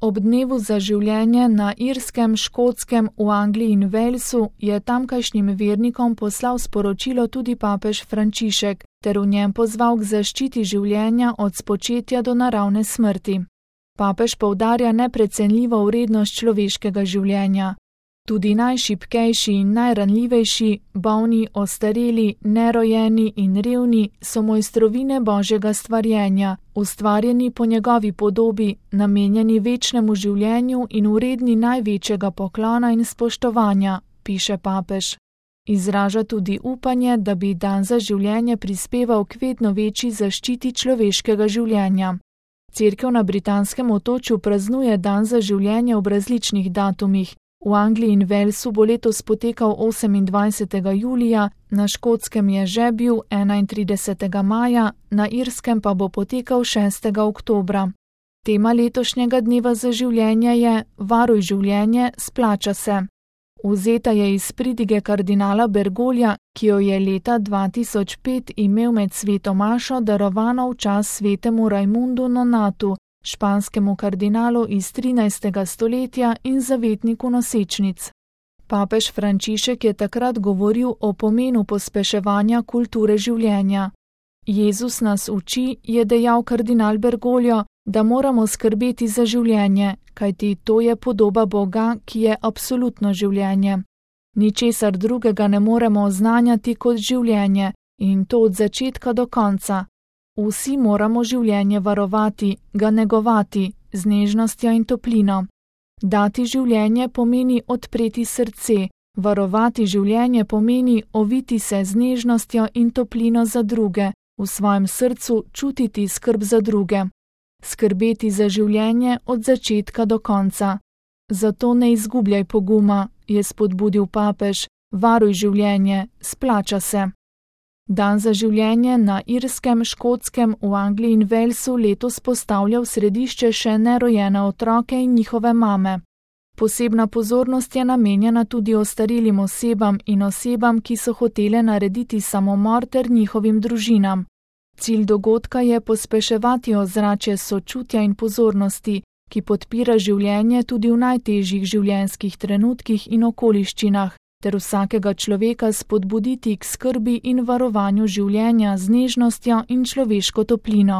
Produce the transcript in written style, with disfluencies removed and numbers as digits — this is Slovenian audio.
Ob dnevu za življenje na Irskem, Škotskem, v Angliji in Walesu je tamkajšnjim vernikom poslal sporočilo tudi papež Frančišek ter v njem pozval k zaščiti življenja od spočetja do naravne smrti. Papež poudarja neprecenljivo vrednost človeškega življenja. Tudi najšibkejši in najranljivejši, bolni, ostareli, nerojeni in revni so mojstrovine Božjega stvarjenja, ustvarjeni po njegovi podobi, namenjeni večnemu življenju in vredni največjega poklona in spoštovanja, piše papež. Izraža tudi upanje, da bi dan za življenje prispeval k vedno večji zaščiti človeškega življenja. Cerkev na britanskem otočju praznuje dan za življenje ob različnih datumih. V Angliji in Walesu bo letos potekal 28. julija, na Škotskem je že bil 31. maja, na Irskem pa bo potekal 6. oktobra. Tema letošnjega dneva za življenje je Varuj življenje, splača se. Vzeta je iz pridige kardinala Bergoglja, ki jo je leta 2005 imel med sveto mašo darovano v čas svetemu Raimundu Nonatu, španskemu kardinalu iz 13. stoletja in zavetniku nosečnic. Papež Frančišek je takrat govoril o pomenu pospeševanja kulture življenja. Jezus nas uči, je dejal kardinal Bergoglio, da moramo skrbeti za življenje, kajti to je podoba Boga, ki je absolutno življenje. Ničesar drugega ne moremo oznanjati kot življenje, in to od začetka do konca. Vsi moramo življenje varovati, ga negovati, z nežnostjo in toplino. Dati življenje pomeni odpreti srce, varovati življenje pomeni oviti se z nežnostjo in toplino za druge, v svojem srcu čutiti skrb za druge. Skrbeti za življenje od začetka do konca. Zato ne izgubljaj poguma, je spodbudil papež, varuj življenje, splača se. Dan za življenje na Irskem, Škotskem, v Angliji in Walesu letos postavlja v središče še nerojene otroke in njihove mame. Posebna pozornost je namenjena tudi ostarelim osebam in osebam, ki so hotele narediti samomor ter njihovim družinam. Cilj dogodka je pospeševati ozračje sočutja in pozornosti, ki podpira življenje tudi v najtežjih življenjskih trenutkih in okoliščinah, ter vsakega človeka spodbuditi k skrbi in varovanju življenja z nežnostjo in človeško toplino.